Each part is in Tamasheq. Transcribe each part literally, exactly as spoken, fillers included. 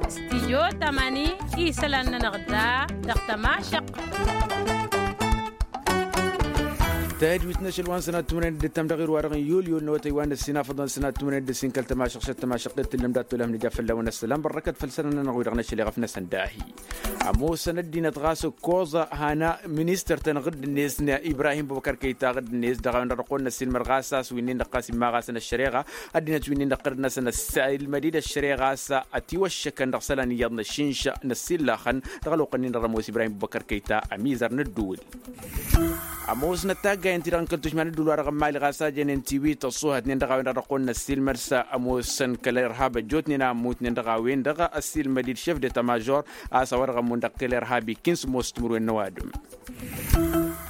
Stidyo tamani isălan-nănăɣ da dăɣ-tămašăq. Tadwit n-ašăl wa n-sănat tumănen d-tăm dăɣ-irwa dăɣ-n yulyu n-awătăy wa n-ăssin afăḍăn sănat tumănen d-ăssin kăl-tămašăq šăt tămašăq d-tǝllăm dat-tolăm nǝja fălla-wăn ăssălam bărrăkăt făll-sănănănăɣ wi dăɣ-năšăl iɣăf n-asăndahi. Ămoosăn ăddinăt ɣas ǝkkoẓ hana ministăr-tăn ɣǝdd-net n-ibrahim bubăkăr kăyta ɣǝdd-net dăɣ-a-wen-dăɣ dăɣ-kăwăn-năssilmăd ɣas a-s wi-nin-dăɣ ɣas imma ɣasăn ăššăreɣa ăddinăt wi-nin-dăɣ ɣǝdd-năsăn ăssilmăd-dd ăššăreɣa a-s ătiwăššăkăn dăɣ-isălan iyyăḍ n-ašinša n-ăssillăxăn dăɣ-ălwăqq-nin-dăɣ d-ămoos ibrahim bubăkăr kăyta ămizăr n-ǝddǝwǝl. Ămoosnăt taggayen-ti-dăɣ n-kăl-tušma n-ǝddǝwǝl wa dăɣ-n mali ɣas a jănen tiwit ăṣṣuhătnen dăɣ-a-wen-dăɣ dăɣ-kăwăn-năssilmăd s-ămoosăn kăl-irhab ăjjootnen a ămmutnen dăɣ-a-wen-dăɣ ăssilmăd-dd šef d-eta mažor a-s a-wa dăɣ-ămmun dăɣ-kăl-irhab ikkin s-ămoos timǝrwen n-ăwadǝm.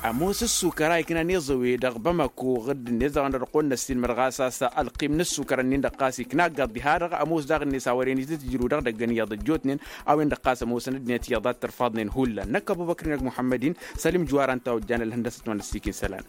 Ămoos ǝssukăr a iknan iẓăwe dăɣ-bamako ɣǝdd-net dăɣ-a-wen-dăɣ dăɣ-kăwăn-năssilmăd ɣas a-s ălqim n-ǝssukăr-nin-dăɣ ɣas ikna ăggaḍ diha-dăɣ ămoos daɣ-net a wăren itǝtjǝru dăɣ-idăgg n-iyyăḍ ăjjootnen a-wen-dăɣ ɣas ămoosăn ăddinăt iyyăḍ ad-tărfaḍnen hullan năkk ăbubăkr-in ăgg-muḥămmăd-in sălim juwar ănta ojjan ălhăndăsăt wa n-ăssikin isălan.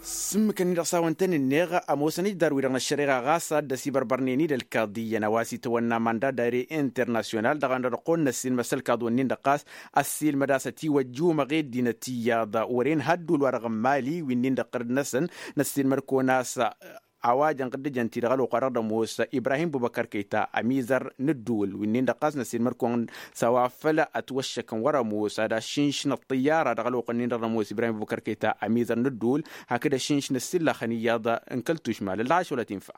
S-ǝmmǝk-nin-dăɣ s-a-wăn tăn-ǝnneɣ ămoosăn ǝjdar-wi-dăɣ n-ăššăreɣa ɣas a dd-ăsibărbărnen-dd ălkaḍiyyăn a-wa s-itawănna manda dare internasyonal dăɣ-a-wen-dăɣ dăɣ-kăwăn-năssilmăd s-ălkaḍ-wǝnnin-dăɣ ɣas ăssiilmăd a-s ătiwăjjumăɣ i-ăddinăt iyyăḍ wăren ha ădduul-wa-dăɣ n-mali wi-nin-dăɣ ɣǝrǝd-năsăn. Năssiilmăd-kăwăn a-s a-wa jăn ɣǝddǝjăn-ti-dăɣ ălwăqq-wa-dăɣ d-ămoos ibrahim bubăkăr kăyta ămizăr n-ǝddǝwǝl wi-nin-dăɣ ɣas năssiilmăd-kăwăn s-a-wa făl ătwăššăkăn wăr-ămoos ad-ašǝnš n-ăṭṭǝyyara dăɣ-ălwăqq-nin-dăɣ d-ămoos ibrahim bubăkăr kăyta ămizăr n-ǝddǝwǝl hakd ašǝnš n-ǝssillăxăn iyyăḍ n-kăl-tušma lăllaɣ ašăwălăt infa.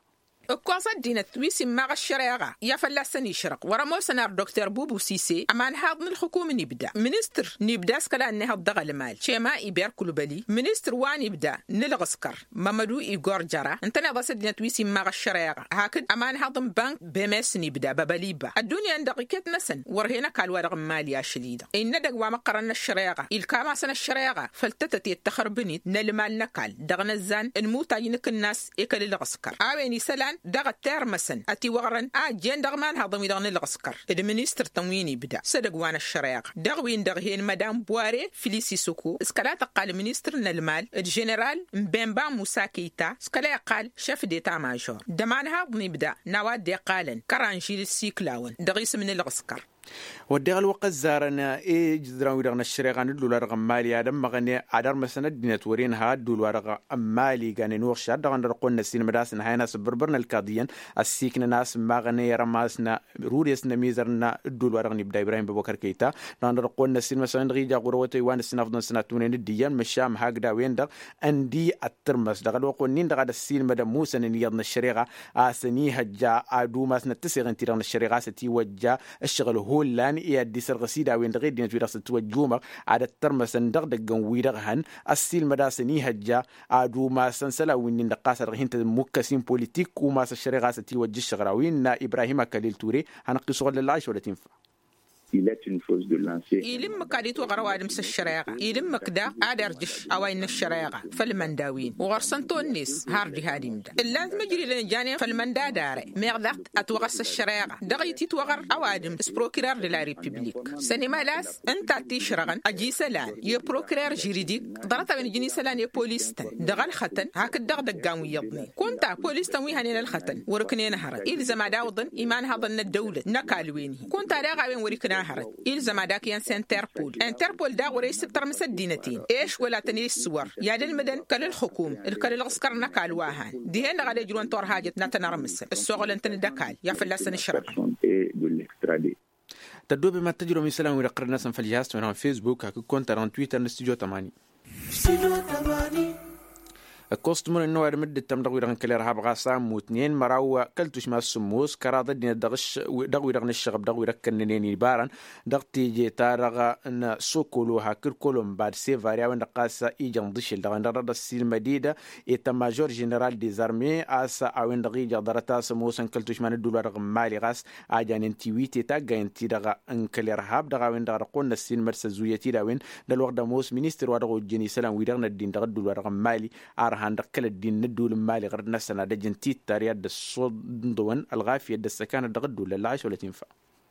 Ǝkkoẓ ăddinăt wi s-immaɣ ăššăreɣa i-ad-fălla-săn išrăɣ wăr-ămoosăn ar dokter bubu sise ămanhaḍ n-ǝlxǝkum n-ibda ministăr n-ibda s-kăla ănnihăḍ dăɣ-ălmal cema iber kulbăli ministăr wa n-ibda n-ǝlɣǝskăr mămădu igor jăra ǝntăneḍ a-s ăddinăt wi s-immaɣ ăššăreɣa hakd ămanhaḍ n-bank bemes n-ibda băbăliba ăddunya-en-dăɣ iket-năsăn wăr hen ăkall-wa-dăɣ n-mali ašăl-i-dăɣ innă edăgg wa măqqărăn n-ăššăreɣa ilkam-asăn ăššăreɣa făll-tătăt i-ăttăxărbǝn-dd n-ălmal n-ăkall dăɣ-inǝzzan n-imutaj n-akǝnnas i-kăl-ǝlɣǝskăr a-wen isălan dăɣ-ăttirmăsăn ătiwăɣrăn a ăjjeen dăɣ-imanhaḍăn-wi-dăɣ n-ǝlɣǝskăr d-ministăr-tăn wi n-ibda s-edăgg wa n-ăššăreɣa dăɣ-win-dăɣ hen madam buware filis isuku s-kăla tăqqal ministăr n-ălmal d-ženeral n-bemba musa kăyta s-kăla iqqal šef d-eta mažor d-ămanhaḍ n-ibda n-a-wa dd-iqqalăn kăranžil d-siklawăn dăɣ-isǝm n-ǝlɣǝskăr. Wădden ălwăqq ăzzarăn ijǝzran-wi-dăɣ n-ăššăreɣa n-ǝddul-wa-dăɣ n-mali ad-ămmăɣăn ad-ărmăsăn ăddinăt wăren ha ǝddul-wa-dăɣ n-mali ganen uɣšad dăɣ-a-wen-dăɣ ăqqolăn ăssiilmăd a-s ǝnhayăn a-s ǝbbărbărăn ălkaḍiyyăn ăssiiknăn a-s ǝmmaɣăn i-ărmasna rudes n-ămizăr n-ǝddul-wa-dăɣ n-ibda ibrahim băbăkăr kăyta dăɣ-a-wen-dăɣ ăqqolăn ăssiilmăsăn dăɣ-ija ɣur-awătay wa n-ăssinafḍăn sănat tumǝnen d-iyyăn măšan hakd a-wen-dăɣ ǝndi ăttărmăs dăɣ-ălwăqq-wen-in-dăɣ ad-ăssiilmădăn musăn ǝnniyyăḍ n-ăššăreɣa a-s ănihăjja ad-umasnăt tǝseɣen-ti-dăɣ n-ăššăreɣa a-s ătiwăjja ǝššăɣǝl hullan i-ad-dd-isărɣǝs-dd a-wen-dăɣ i-ăddinăt-wi-dăɣ s-ătiwăjjumăɣ ad-ăttărmăsăn dăɣ-idăggăn-wi-dăɣ hăn ăssiilmăd a-s ănihăjja ad-umasăn isălan wi-nin-dăɣ ɣas a dăɣ-hin-tămmukkas-in politik umas ăššăreɣa a-s ătiwăjja ǝššăɣǝl a-wen innă ibrahim akălil ture hanăɣ-t-isuɣǝl lăllaɣ išwălăt infa. Ila ǝmmǝk ad-itwăɣăr ăwadǝm s-ăššăreɣa ila ǝmmǝk daɣ ad-irjǝš a-wa innă ăššăreɣa făll-imănda-win uɣăr săn tonnes har diha d-imda ǝllan timǝjridăn ǝjjanen făll-imănda dare meɣ daɣ ătwăɣăs ăššăreɣa dăɣ-ititwăɣăr ăwadǝm s-prokirer de la republik sănimăl a-s ǝnta t-išrăɣăn ăj isălan i-prokirer žiridik ḍarăt-a-wen ǝjǝn isălan i-polis-tăn dăɣ-ălxătăn hakd dăɣ-idăggan wi iyyăḍnen kunta polis-tăn wi hănen ălxătăn wăr-ǝknen hărăt ilzăm ad-awǝḍăn imanhăḍăn n-ăddăwlăt n-ăkall-wen-hi kunta daɣ a-wen wăr-ikna hărăt ilzăm ad-akǝyăn s-interpol interpol daɣ wăr-e-s tǝttărmǝs ăddinăt-en ešwăl ad-tăn-e-issǝwăr i-ad-ǝlmǝdăn kăl-ǝlxǝkum d-kăl-ǝlɣǝskăr n-ăkall wa han dihen-dăɣ ad-ejrǝwăn turhajăt n-ad-tăn-ărmǝsăn ǝssoɣălăn-tăn d-ăkall i-ad-fălla-săn ǝšrăɣăn. Tăddoobem ad-tăjrăwăm isălan-wi-dăɣ tărăd-năsăn făll-jihaz-tăn wa n-fesbuk hakd konta-dăɣ n-twitter n-studyo tămani. Ǝkkoẓ timǝrwen n-ăwadǝm dd-ǝttăm dăɣ-wi-dăɣ n-kăl-irhab ɣas a ămmutnen măraw kăl-tušma s-sǝmmos kăraḍ ăddinăt dăɣ-wi-dăɣ n-ǝššăɣăb dăɣ-wi-dăɣ kănnănen ibărăn dăɣ-teje-ta-dăɣ n-sokolo hakd kolomba d-sevari a-wen-dăɣ ɣas ijăn ḍǝšel dăɣ-a-wen-dăɣ dăɣ-dd-ăssiilmăd-dd eta mažor ženeral dezarme a-s a-wen-dăɣ ija ḍarăt a-s ămoosăn kăl-tušma n-ădduul-wa-dăɣ n-mali ɣas a janen tiwite taggayen-ti-dăɣ n-kăl-irhab dăɣ-a-wen-dăɣ dăɣ-kăwăn-năssiilmăd s-ăzzuyăt-dd a-wen d-ălwăqq d-ămoos ministăr wa dăɣ-ojjăn isălan-wi-dăɣ n-ăddin dăɣ-ădduul-wa-dăɣ n-mali arhan dăɣ-kăl-ăddin n-ădduul n-mali ɣăr-dd-năsăn ad-ăjǝn tittari ad-dd-ăssuḍnḍăwăn ălɣafyăt d-ăssăkanăt dăɣ-ădduul lăllaɣ ašăl ătinfa.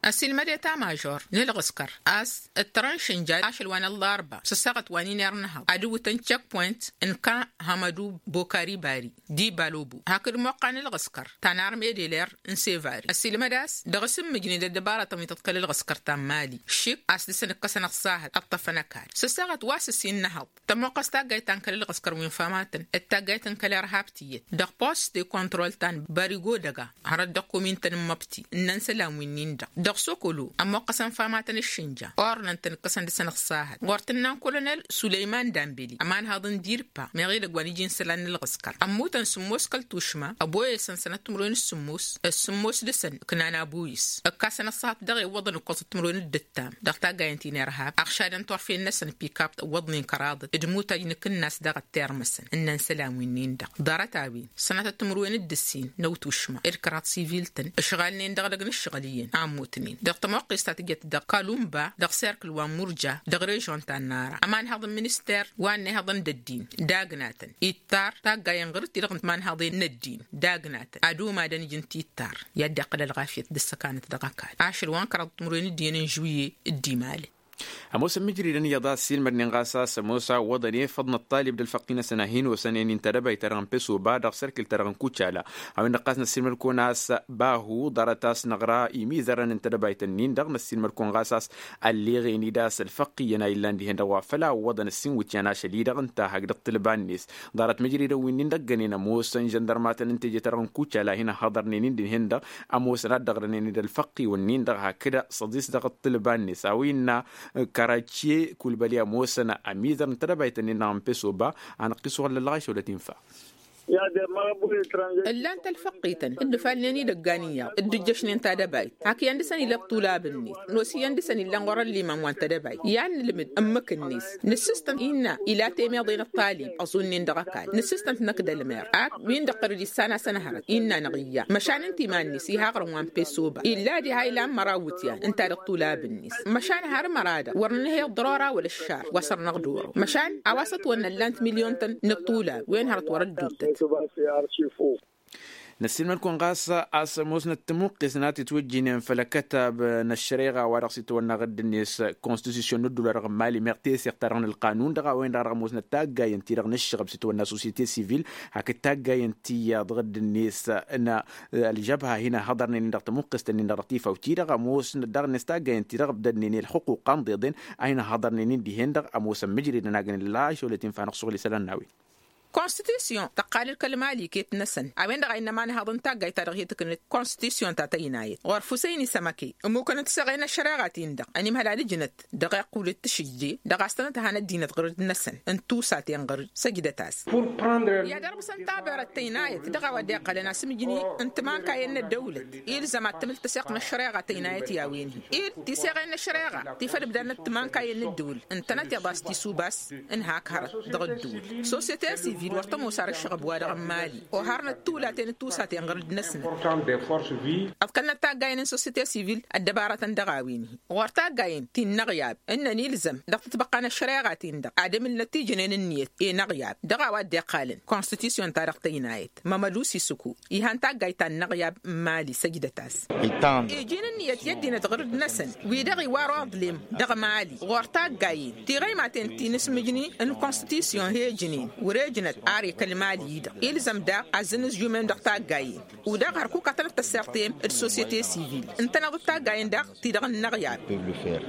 Ăsilmăd eta mažor n-ǝlɣǝskăr a-s ǝttărăn šǝnja ašăl wa n-ăllarba s-ăssaɣăt wa n-inerr n-ehăḍ ad-ǝwwǝtăn check point n-ka hamădu bokari bari d-ibalobo hakd moqqan ǝlɣǝskăr ta n-armedeler n-sevari ăsilmăd a-s dăɣ-s ǝmmǝjnen d-ăddăbaratăn wi tăḍkăl ǝlɣǝskăr ta n-mali šik a-s dăɣ-săn ǝkkăsăn ăṣṣahăt ăṭṭăfăn ăkall s-ăssaɣăt wa s-ǝssin n-ehăḍ. Tămoqqăs taggayt ta n-kăl-ălɣăskăr wi n-famatăn d-taggayt n-kăl-irhab tiyyăt dăɣ-post de kontrol ta n-barigo dăga hărăt dăɣ-kumin-tăn n-măbti ǝnnăn isălan wi n-indăɣ dăɣ-sokolo ămoqqăsăn famatăn ǝššǝnja ornăn-tăn ǝkkăsăn dăɣ-săn ăṣṣahăt ɣur-tǝnna n-kolonel sulăyman dambeli ămanhăḍ n-dirpa meɣ edăgg wa n-iji n-isălan n-ălɣăskăr ămmutăn sǝmmos kăl-tušma ăboyăsăn sănăt timǝrwen d-sǝmmos d-sǝmmos dăɣ-săn ǝknan aboyǝs ǝkkasăn ăṣṣahăt dăɣ-e ǝwwăḍăn ǝkkoẓăt timǝrwen d-ǝttam dăɣ-taggayăn ti n-irhab ăɣšadăn turfen-năsăn pikap ǝwwăḍnen kăraḍăt d-imutaj n-akǝnnas dăɣ-ăttirmăsăn ǝnnăn isălan wi n-indăɣ ḍarăt-a-wen sănatăt timǝrwen d-ǝssin n-awtušma d-kăraḍ sivil-tăn ǝšɣalnen dăɣ-edăgg n-ǝššăɣǝl iyyăn a ămmutnen dăɣ-tămoqqes ta tǝjăt dăɣ-kalumba dăɣ-serkǝl wa n-murja dăɣ-režon ta n-nara ămanhăḍ n-minister wa n-ehăḍăn d-ăddin d-agnatăn ittar taggayen ɣur-dd-ti-dăɣ n-timanhaḍen n-ăddin d-agnatăn ad-umadăn ǝjǝn tittar i-ad-dd-iqqăl ălɣafyăt d-ăssăkanăt dăɣ-ăkall ašăl wa n-kăraḍăt timǝrwen d-iyyăn n-žuwye d-imalen. Ămoos n-imǝjridăn iyyăḍ a ăssiilmădnen ɣas a-s ămoos a ǝwwăḍăn efăḍ n-ăṭṭalib d-ălfăqqi-năsăn a hin-osănen i n-tedăbayt-ta-dăɣ n-pesoba dăɣ-serkil-ta-dăɣ n-kucala a-wen-dăɣ ɣas năssiilmăd-kăwăn a-s bahu ḍarăt a-s năɣra imizărăn n-tedăbayt-ǝnnin-dăɣ năssiilmăd-kăwăn ɣas a-s ălleɣen-dd a-s ălfăqq iyyăn a illan dihen-dăɣ wa făl a ǝwwăḍăn ǝssin iwǝtyan ašăl-i-dăɣ ǝnta hak dăɣ-tǝlba-net ḍarăt mǝjridăn wi n-indăggănen ămoosăn žăndărmatăn n-teje-ta-dăɣ n-kucala a hin-ăhhăḍărnen-in dihen-dăɣ ămoosăn ad-dd-ăɣrănen-dd ălfăqqiwăn-nin-dăɣ hakd săḍis dăɣ-ăṭṭǝlba-net a-wa innă kărăcce kulbăli ămoosăn ămizăr n-tedăbayt-ǝnnin-dăɣ n-pesoba. Anăqqisuɣ ăllălɣa išăwlăt infa. Ǝllan-t ălfăqqităn dd-ǝfalnen idăggan iyyăḍ dd-ǝjjăšnen tadăbayt hak iyyăn dăɣ-săn ila ăṭṭulab-net nos iyyăn dăɣ-săn illan ɣur-ălliman wa n-tedăbayt i-ad-nǝlmǝd ǝmmǝk-net nǝssǝstăn innă ila temeḍe n-ăṭṭalib ăẓunnen dăɣ-ăkall nǝssǝstăn-t năkk d-ălmer ak win-dăɣ tărǝd issan-asăn hărăt innă-năɣ iyya măšan ǝnta iman-net iha aɣrǝm wa n-pesoba illa diha ilan măraw iwǝtyan ǝnta dăɣ-tulab-net măšan har măra-dăɣ wăr nǝnhăy ăḍḍărora wăla ăššar wa săr-năɣ d-oro măšan a-wa s-ătwănna ǝllan-t milyon-tăn n-ăṭṭulab wen hărăt wăr-ădduuttăt. Năssiilmăd-kăwăn ɣas a-s ămoosnăt tămuqqes n-ad-tǝtwǝjjǝynen făll-akătab n-ăššăreɣa wa dăɣ-s itwănna ɣǝdd-net konstitusyon n-ădduul-wa-dăɣ n-mali meɣ teseɣt-ta-dăɣ n-ălqanun dăɣ-a-wen-dăɣ dăɣ-ămoosnăt taggayăn-ti-dăɣ n-ǝššăɣăb s-itwănna societe sivil hakd taggayăn-ti iyyăḍ ɣǝdd-net n-ălžăbha a hin-ăhhăḍărnen-in dăɣ-tămuqqest-nin-dăɣ dăɣ-tifawt-i-dăɣ ămoosnăt daɣ-net taggayăn-ti-dăɣ ǝbdădnen i-ălxuqquq a ǝnḍeḍen a hin-ăhhăḍărnen-in dihen-dăɣ ămoosăn mǝjridăn a gǝnǝlla išăwlăt infa-năɣ suɣǝl isălan n-a-wen. Konstitusyon tăqqal-dd kăl-mali iket-năsăn a-wen-dăɣ a innă ămanhăḍ n-taggayt-ta-dăɣ hi-tǝknǝt konstitusyon ta tăynayăt ɣur-fusăyni sămăke ămmukăn d-tiseɣe n-ăššăreɣa-tin-dăɣ ănimhăl ad-ǝjnăt dăɣ-iqqul d-tǝšǝjje dăɣ-a-s tănăt-hanăt dinăt ɣur-dd-năsăn n-tusaten ɣur-dd săjdăt-as. I-ad-ărmǝsăn tabărăt tăynayăt dăɣ-a-wa dd-iqqălăn asǝmǝjni n-timankayen n-ăddăwlăt ilzăm ad-tǝmǝl tăseɣt n-ăššăreɣa tăynayăt i-a-wen-hi ed tiseɣen n-ăššăreɣa ti făll-ǝbdadnăt timankayen n-ăddăwlăt ǝntănăt iḍas tisuba-s n-hak hărăt dăɣ-ădduul. Sosyete sivil wăr tămoos ar ǝššăɣăb-wa-dăɣ n-mali oharnăt tulaten d-tusaten ɣur-dd-năsnăt. Ăḍkălnăt taggayen n-sosyete sivil ăddăbarătăn dăɣ-a-wen-hi ɣur-taggayen ti n-inăɣyab ǝnnăn ilzăm dăɣ-tǝtbăqqa n-ăššăreɣa-tin-dăɣ ad-emǝlnăt tijǝnen ǝnniyăt i-inăɣyab dăɣ-a-wa dd-iqqalăn konstitusyon-ta-dăɣ tăynayăt mămădu sisuku. Ihan taggayt ta n-inăɣyab n-mali săjdăt-as. Iji n-ǝnniyăt i-ăddinăt ɣur-dd-năsăn wi-dăɣ iwar uḍlem dăɣ-mali ɣur-taggayen tiɣăymaten ti n-asǝmǝjni n-konstitusyon he-ǝjnen wăr-ejnăt ar ekăl mali-i-dăɣ ilzăm daɣ azzăn ǝzjumem dăɣ-taggayen. U-daɣ hărkuk ad-tănăt-tăssirtem d-sosyete sivil ǝntăneḍ-dd taggayen daɣ ti-dăɣ n-inăɣyab.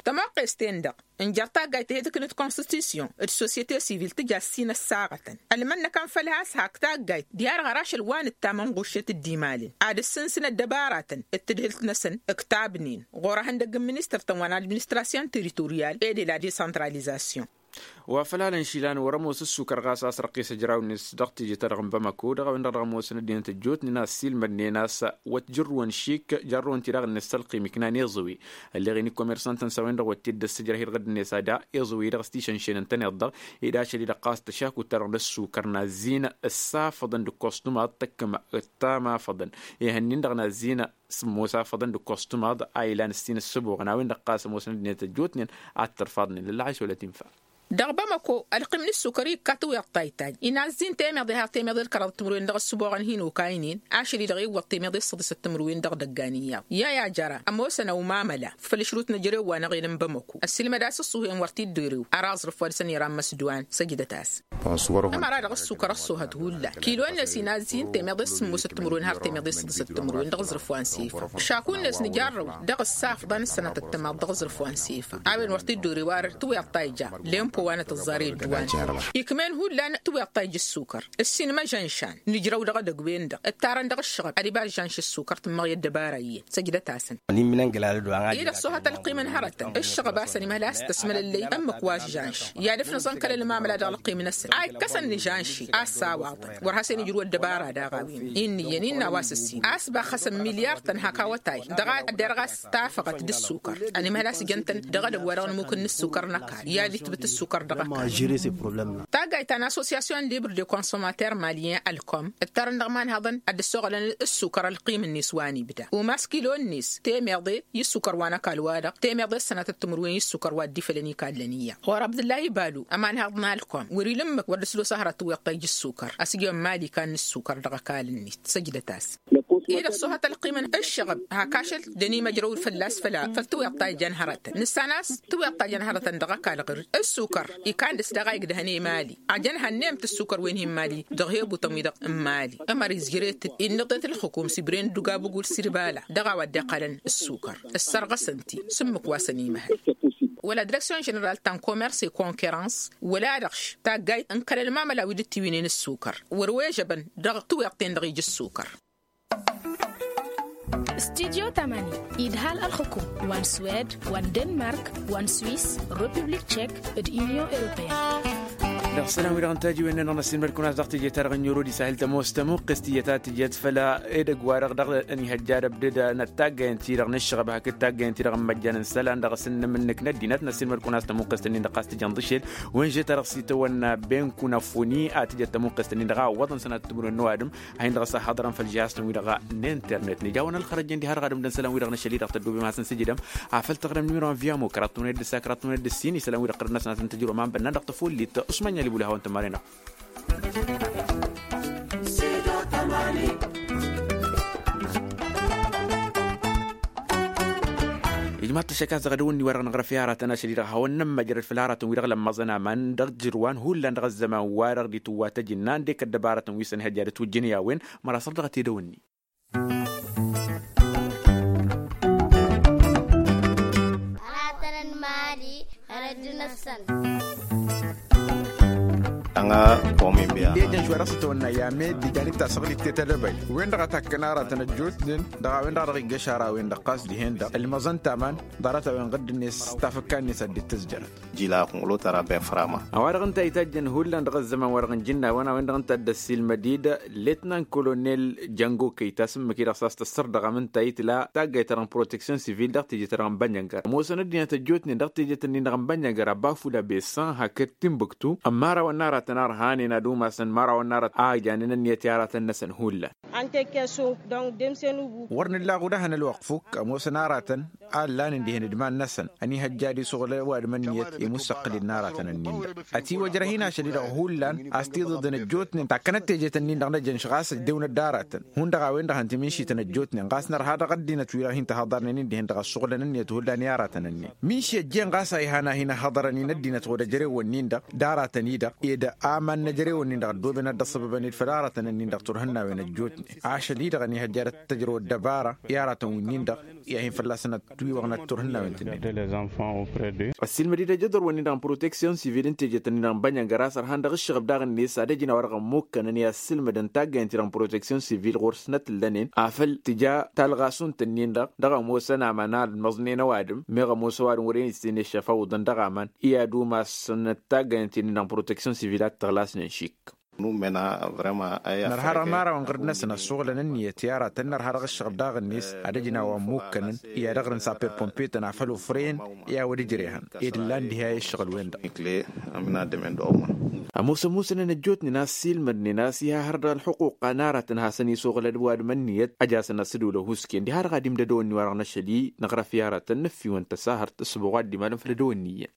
Tămoqqes-ten-dăɣ ǝnjăr taggayt he-tǝknǝt konstitusyon d-sosyete sivil tǝja ǝssin ăssaɣătăn ălmănnăkăn făll-has hak taggayt diha-dăɣ har ašăl wa nǝttam ănɣuššet d-imalăn ad-ǝssǝnsǝn ăddăbaratăn d-tadhǝlt-năsăn ǝktabnen ɣur-ehăndăgg n-ministăr-tăn wa n-administrasyon teritoryal e de la desantralizasyon. Wa făl alăn išilan wăr-ămoos ǝssukăr ɣas a-s răqqes ăjraw-net dăɣ-teje-ta-dăɣ n-bamako dăɣ-a-wen-dăɣ dăɣ-ămoosăn ăddinăt ăjjootnen a ăssiilmădnen a-s wăt jărrǝwăn šik jarrăwăn-ti-dăɣ-net s-ălqim iknan iẓǝwe ălleɣ-in i-komersantăn s-a-wen-dăɣ wăt t-dd-ăssǝjrăh-dd ɣǝddǝnet ad-a iẓǝwe-dăɣ s-tišănšen ǝntăneḍ-dăɣ ed ašăl-i-dăɣ ɣas tăšakut-ta-dăɣ n-ăssukăr n-azzin ǝssafăḍăn d-ǝkkoẓtumăḍ tăkkăm d-tamafăḍăn ihănnin-dăɣ n-azzin sǝmmos afăḍăn d-ǝkkoẓtumăḍ a ilan ǝssin ǝssǝboɣăn a-wen-dăɣ ɣas ămoosăn ăddinăt ăjjootnen ad-t-ărfaḍnen lălăɣ a išolăt infa. Dăɣ-bamăko ălqim n-ǝssukăr ikka tǝwweḍ taytay inazzin temeḍe har temeḍe d-kăraḍăt timǝrwen dăɣ-ǝssǝboɣăn hin-okaynen. Ašăl-i-dăɣ iwwăḍ temeḍe s-săḍisăt timǝrwen dăɣ-idăggan iyyăḍ i-a-i ajăra ămoosăn ăwmamăla făll-ǝšrut n-ejărew wa n-aɣel n-bamăko ăssiilmăd a-s ǝṣṣuhuyăn wăr t-dd-erew. Ăraẓrǝf wa dăɣ-săn ira n-imăsdăwan săjdăt-as. Ămăra dăɣ-ǝssukăr ăṣṣoohăt hullan kilo-net inazzin temeḍe s-sǝmmosăt timǝrwen har temeḍe s-săḍisăt timǝrwen dăɣ-aẓrǝf wa n-sefa. Šaku-net nǝjarrăw dăɣ-ǝssaf ḍan ǝssănatăt tămaḍ dăɣ-aẓrǝf wa n-sefa a-wen wăr t-dd-ore warăt tǝwweḍ ta ija lempo wa n-atǝẓẓar i-ăddăwan. Ikm'-en hullan tǝwweḍ ta ija ǝssukăr ǝssin măžănšan nǝjrăw dăɣ-edăgg-wen-dăɣ ǝttarăn dăɣ-ǝššăɣăb ad-iba ăžžănš ǝssukăr tǝmmăɣ i-ăddăbara iyyăn. Săjdăt-asăn. I-dăɣ s-ohăt ălqim n-hărătăn ǝššăɣăb a-s ănimhăl a-s tăsmălăllăy ǝmmǝk wa ăžžănš i-ad-ǝfnăẓăn kăl-ălmamăla dăɣ-ălqim-năsăn a ikkăsăn nǝžănši a ăssawaḍăn wăr has-enǝjrǝw ăddăbara daɣ a-wen. Innă iyyăn innă a-wa s-ǝssin a-s baxăsăn milyar-tăn hak awătay dăɣ-a dd-erɣ a-s tafăɣăt d-ǝssukăr. Ănimhăl a-s jăn-tăn dăɣ-edăgg wa dăɣ-nǝmuk n-ǝssukăr n-ăkall i-ad-itbǝt ǝssukăr dăɣ-ăkall. Taggayt ta n-associasyon libre de consomater malyen ălkom ǝttarăn dăɣ-imanhăḍăn ad-dd-ăssoɣălăn ǝssukăr ălqim-net wa n-ibda umas kilo-net temeḍe i-ǝssukăr wa n-ăkall-wa-dăɣ temeḍe s-sănatăt timǝrwen i-ǝssukăr wa dd-ifălăn ikallăn iyyăḍ ɣur-abdǝllahi balu ămanhăḍ n-alkom wăr-ila ǝmmǝk wăr dd-ăslos ahărăt tǝwweḍ ta ija ǝssukăr. Ăsjăn mali kan n-ǝssukăr dăɣ-ăkall-net săjdăt-as. I-dăɣ s-ohăt ălqim n-ǝššăɣăb hak ašăl dd-ănimăjrăw fălla-s făll-tǝwweḍt ta ijăn hărătăn nǝssan a-s tǝwweḍt ta ijăn hărătăn dăɣ-ăkall ɣǝr ǝssukăr ikan dăɣ-s daɣ a igdăhăn i-mali. Ajăn hănnem-t ǝssukăr wen hi-mali dăɣ-hebutăn-wi-dăɣ n-mali ămăr izjăret-dd innăḍet ǝlxǝkum s-ibren dd-ugabǝgul s-irbala dăɣ-a-wa dd-iqqălăn ǝssukăr. Ǝssărɣăsăn-t-i s-ǝmmǝk wa s-ănimăhăl wăla direksyon ženeral ta n-komers e-konkerăns wăla-dăɣ taggayt n-kăl-ălmamăla wi dd-tiwǝynen ǝssukăr wăr-ojăbăn dăɣ-tǝwweḍt-ten-dăɣ ija ǝssukăr. Studyo tamani idhal ălxǝkum wa n-swed wa n-denmark wa n-swis, republik tšek, d-inyon europeyăn. Dăɣ-isălan-wi-dăɣ n-tajiwen-nen-dăɣ n-ăssiilmăd-kăwăn a-s dăɣ-teje-ta-dăɣ n-yoro d-isahil tămoos tămuqqest iyyăt a tǝjăt făll-edăgg-wa-dăɣ dăɣ-ănihăjja ad-ăbdăd n-ăttaggayăn-ti-dăɣ n-ǝššăɣăb hakd taggayăn-ti-dăɣ n-imăjjan n-isălan dăɣ-asǝnnǝm-nǝk n-ăddinăt n-ăssiilmăd-kăwăn a-s tămuqqest-nin-dăɣ ɣas tǝjăn ḍǝšel. Wănže-ta-dăɣ s-itawănna ben kunăfuni a tǝjăt tămuqqest-nin-dăɣ a ǝwwăḍăn sănatăt timǝrwen n-ăwadǝm a hin-dăɣ s-ăhhăḍărăn făll-žihaz-tăn-wi-dăɣ n-internet nǝja-wăn ălxărăjjăn diha-dăɣ ad-ǝmdăn isălan-wi-dăɣ n-ašăl-i-dăɣ tăddobem ad-hasăn-sǝjǝdăm. Afăl taɣrem numero n-viamo kăraḍ tămăned d-ǝssa kăraḍ tămăned d-ǝssin isălan-wi-dăɣ tărăd-năsăn ad-hasăn tăjrăw ma n-bănnan dăɣ-tăfollit usmanya libul hawăn-tămaren-dăɣ. Ijmaḍ-t ăššăk a-s dăɣ-edăwănni-wa-dăɣ năɣrăf i-aratăn ašăl-i-dăɣ hawăn-nămmăjrăd făll-aratăn-wi-dăɣ lămmăẓăn aman dăɣ-jǝrwan hullan dăɣ-ăzzăman-wa-dăɣ d-itǝwwa tăjǝnna ǝndek ăddăbarătăn wi s-ănhăjja d-tujjǝn i-a-wen. Măra săr dăɣ-t edăwănni. Aratăn n-mali. Hărăt-năsăn. Ănga. Pomin biya. Ejăn šwa dăɣ-s itawănna i-amed ijan-dd tasăɣlit tetălăbăy wen-dăɣ a takkăn aratăn ăjjootnen dăɣ-a-wen-dăɣ dăɣ-iggăš ara-wen-dăɣ ɣas dihen-dăɣ ǝlmăẓăn taman. Ḍarăt-a-wen ɣǝdd-net tafǝkka-net ad-dd-tǝzjărăt. Jila kunɣǝlo tăra ben fărama. A-wa-dăɣ ǝnta a itajjăn hullan dăɣ-ăzzăman-wa-dăɣ n-ijǝnnawăn a-wen-dăɣ ǝnta a dd-ăssiilmăd-dd letnan kolonel jango kăyta s-ǝmmǝk-i-dăɣ s-a-s tăssărdăɣăm ǝnta a itla taggayt-ta-dăɣ n-proteksyon sivil dăɣ-teje-ta-dăɣ n-bănjăngăr ămoosăn ăddinăt ăjjootnen dăɣ-teje-tăn-in-dăɣ n-bănjăngăr abba fula besan hakd timbuktu ămmarawăn n-aratăn arhanen ad-umasăn ămmarawăn n-aratăn a ăjjanen ǝnniyăt i-aratăn-năsăn hullan. Wăr nǝllaɣ udăhăn ălwăqq fukk ămoosăn aratăn a ǝllanen dihen d-iman-năsăn ănihăjja ad-isuɣǝl ăwadǝm ǝnniyăt i-mussăqqǝl-in n-aratăn-ǝnnin-dăɣ. Ătiwăjrăh-in ašăl-i-dăɣ hullan a-s tiḍeḍen ăjjootnen takkănăt teje-tăn-in-dăɣ n-ejănš ɣas ăjjewnăt d-aratăn hundăɣ a-wen-dăɣ hăn timǝnšităn ăjjootnen ɣas nărha dăɣ-ăddinăt-wi-dăɣ hin-tăhăḍărnen-in dihen-dăɣ ăssuɣǝlăn ǝnniyăt hullan i-aratăn-ǝnnin. Mǝnši ăjjeen ɣas a ihan a hin-ăhhăḍărăn-in ăddinăt ɣud-ăjrewăn-in-dăɣ d-aratăn-i-dăɣ ed aman n-ejrewăn-in-dăɣ ăddooben ad-dd-ăṣṣăbăbăn-dd făll-aratăn-ǝnnin-dăɣ turhǝnnawen ăjjootnen. Ašăl-i-dăɣ ănihăjja ad-tăjrăw ăddăbara i-aratăn wi-nin-dăɣ i-ad-hin fălla-săn ătwiwăɣnăt turhǝnnawen-tǝnnin. Ăssiilmăd-dd ajădăr-wăn-in-dăɣ n-proteksyon sivil n-teje-tăn-in-dăɣ n-bănjăngăr a-s ărhan dăɣ-ǝššăɣăb daɣ-net ad-ăj n-a-wa-dăɣ ămmukkănăn i-ad-sǝlmădăn taggayăn-ti-dăɣ n-proteksyon sivil ɣur-s n-ătǝllănen afăl tǝja talɣasunt-ǝnnin-dăɣ dăɣ-ămoosăn aman a ălmăẓnen ăwadǝm meɣ ămoos ăwadǝm wăren issǝnešăf awǝḍăn dăɣ-aman. I-ad-umas n-taggayăn-ti-nin-dăɣ n-proteksyon sivil ad-t-ăɣlasnen šik. Nărha dăɣ-imărawăn ɣǝrǝd-năsăn ăssuɣǝlăn ǝnniyăt i-aratăn nărha dăɣ-ǝššăɣǝb daɣ-net ad-ăj n-a-wa ămmukkănăn i-ad-ăɣrǝn saper pompe-tăn afăl ufren i-a-wăr ǝjrehăn ed ǝllan diha i-ǝššăɣǝl-wen-dăɣ. Ămoos ămoosănăn ăjjootnen a ăssiilmădnen a-s iha hăr dăɣ-ălxuqquqa n-aratăn hasăn-isuɣǝl ăwadǝm ǝnniyăt ăj'-asăn asǝdǝw lăhusken diha-dăɣ ad-imdădăwăn n-iwa-dăɣ n-ašăl-i năɣrăf i-aratăn nǝffiwăn tăsahărt s-ǝbăɣ wa dd-imalăn făll-edăwănni iyyăn.